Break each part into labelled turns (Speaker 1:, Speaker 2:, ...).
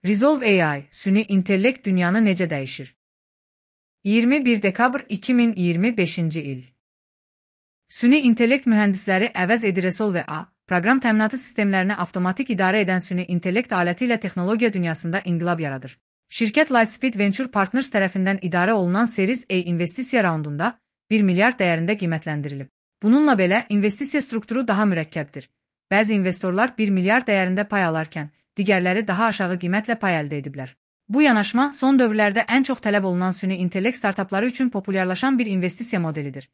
Speaker 1: Resolve AI, süni intellekt dünyanı necə dəyişir? 21 dekabr 2025-ci il. Süni intellekt mühəndisləri əvəz edir. Resolve AI, proqram təminatı sistemlərini avtomatik idarə edən süni intellekt aləti ilə texnologiya dünyasında inqilab yaradır. Şirkət Lightspeed Venture Partners tərəfindən idarə olunan Series A investisiya raundunda 1 milyard dəyərində qiymətləndirilib. Bununla belə, investisiya strukturu daha mürəkkəbdir. Bəzi investorlar 1 milyard dəyərində pay alarkən, digərləri daha aşağı qiymətlə pay əldə ediblər. Bu yanaşma son dövrlərdə ən çox tələb olunan süni intellekt startapları üçün populyarlaşan bir investisiya modelidir.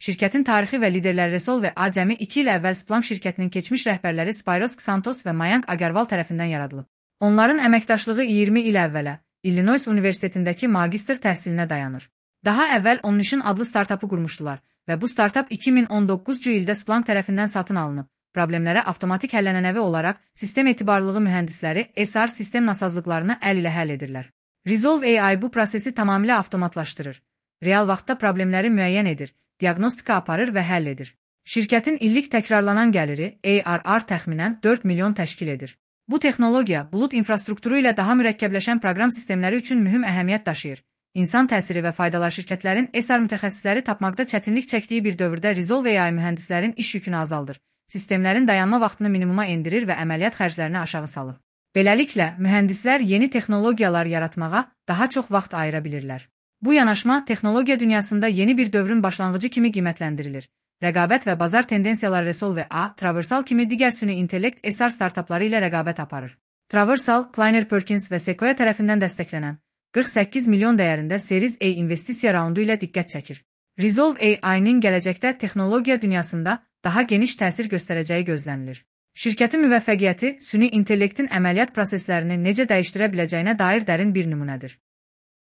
Speaker 1: Şirkətin tarixi və liderləri Resolve AI cəmi 2 il əvvəl Splunk şirkətinin keçmiş rəhbərləri Spyros Xantos və Mayank Agarwal tərəfindən yaradılıb. Onların əməkdaşlığı 20 il əvvələ Illinois Universitetindəki magistr təhsilinə dayanır. Daha əvvəl Omnition adlı startapı qurmuşdular və bu startap 2019-cu ildə Splunk tərəfindən satın alınıb. Problemlərə avtomatik həllənənəvi olaraq sistem etibarlılığı mühəndisləri SR sistem nasazlıqlarını əl ilə həll edirlər. Resolve AI bu prosesi tamamilə avtomatlaşdırır. Real vaxtda problemləri müəyyən edir, diaqnostika aparır və həll edir. Şirkətin illik təkrarlanan gəliri ARR təxminən 4 milyon təşkil edir. Bu texnologiya bulut infrastrukturu ilə daha mürəkkəbləşən proqram sistemləri üçün mühüm əhəmiyyət daşıyır. İnsan təsiri və faydalar şirkətlərin SR mütəxəssisləri tapmaqda çətinlik çəkdiyi bir dövrdə Resolve AI mühəndislərin iş yükünü azaldır. Sistemlərin dayanma vaxtını minimuma endirir və əməliyyat xərclərini aşağı salır. Beləliklə, mühəndislər yeni texnologiyalar yaratmağa daha çox vaxt ayıra bilirlər. Bu yanaşma texnologiya dünyasında yeni bir dövrün başlanğıcı kimi qiymətləndirilir. Rəqabət və bazar tendensiyaları Resolve AI, Traversal kimi digər süni intellekt SR startapları ilə rəqabət aparır. Traversal, Kleiner Perkins və Sequoia tərəfindən dəstəklənən 48 milyon dəyərində Series A investisiya raundu ilə diqqət çəkir. Resolve AI-nin gələcəkdə texnologiya dünyasında daha geniş təsir göstərəcəyi gözlənilir. Şirkətin müvəffəqiyyəti süni intellektin əməliyyat proseslərini necə dəyişdirə biləcəyinə dair dərin bir nümunədir.